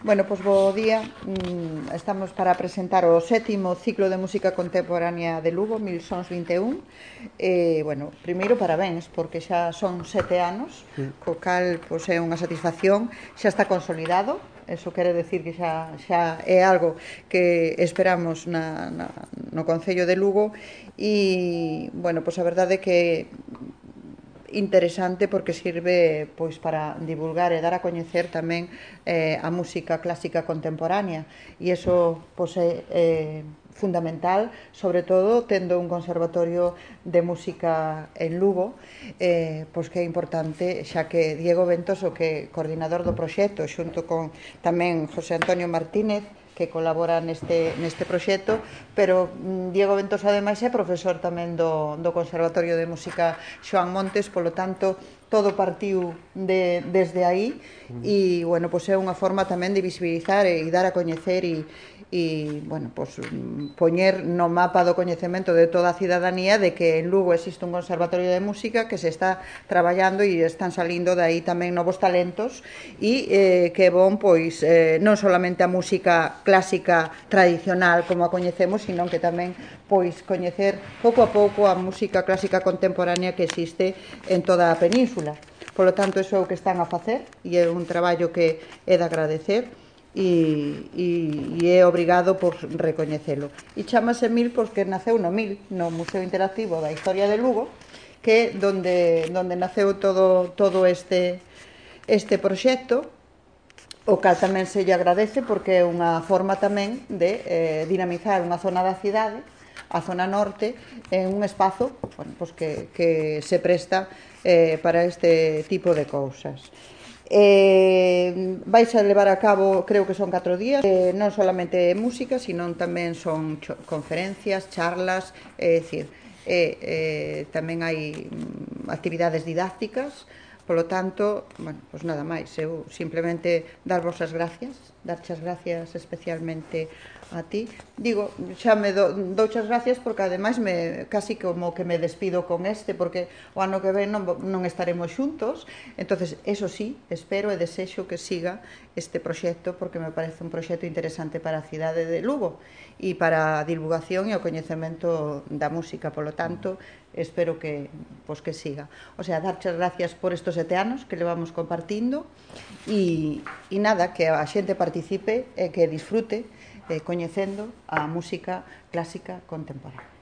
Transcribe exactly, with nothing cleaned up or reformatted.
Bueno, pois bo día. Estamos para presentar o sétimo ciclo de música contemporánea de Lugo, mil sons vinte e un. E, bueno, primeiro parabéns, porque xa son sete anos, co cal pois, é unha satisfacción, xa está consolidado. Eso quere decir que xa, xa é algo que esperamos na, na, no Concello de Lugo. E, bueno, pois a verdade é que interesante porque sirve pois para divulgar e dar a coñecer tamén eh, a música clásica contemporánea, e iso pois é eh, fundamental, sobre todo tendo un conservatorio de música en Lugo, eh, pois que é importante, xa que Diego Ventos, o que é coordinador do proxecto, xunto con tamén José Antonio Martínez, que colabora neste, neste proxecto, pero Diego Ventos ademais é profesor tamén do, do Conservatorio de Música Xoán Montes, polo tanto todo partiu de, desde aí e, bueno, pois é unha forma tamén de visibilizar e dar a coñecer e, e bueno, pois, poñer no mapa do coñecemento de toda a cidadanía de que en Lugo existe un conservatorio de música que se está traballando e están salindo de aí tamén novos talentos e eh, que é bon, pois, eh, non solamente a música clásica tradicional como a coñecemos, sino que tamén pois coñecer pouco a pouco a música clásica contemporánea que existe en toda a península. Polo tanto, iso é o que están a facer e é un traballo que é de agradecer e, e, e é obrigado por recoñecelo. E chamase Mil porque naceu no Mil, no Museo Interactivo da Historia de Lugo, que é donde, donde naceu todo, todo este, este proxecto, o cal tamén se lle agradece porque é unha forma tamén de eh, dinamizar unha zona da cidade, a zona norte, en un espazo, bueno, pues que, que se presta eh, para este tipo de cousas. Eh, vais a levar a cabo, creo que son catro días, eh, non solamente música, sino tamén son conferencias, charlas, é dicir, eh, eh, tamén hai actividades didácticas. Polo tanto, bueno, pois nada máis, eu simplemente darvos as gracias, darche as gracias especialmente a ti. Digo, xa me do, douche as gracias porque ademais me, casi como que me despido con este, porque o ano que ven non, non estaremos xuntos, entonces eso sí, espero e desexo que siga este proxecto porque me parece un proxecto interesante para a cidade de Lugo e para a divulgación e o coñecemento da música, polo tanto, espero que, pois, que siga. O sea, darche as gracias por estos sete anos que levamos compartindo e, e nada, que a xente participe e que disfrute eh, coñecendo a música clásica contemporánea.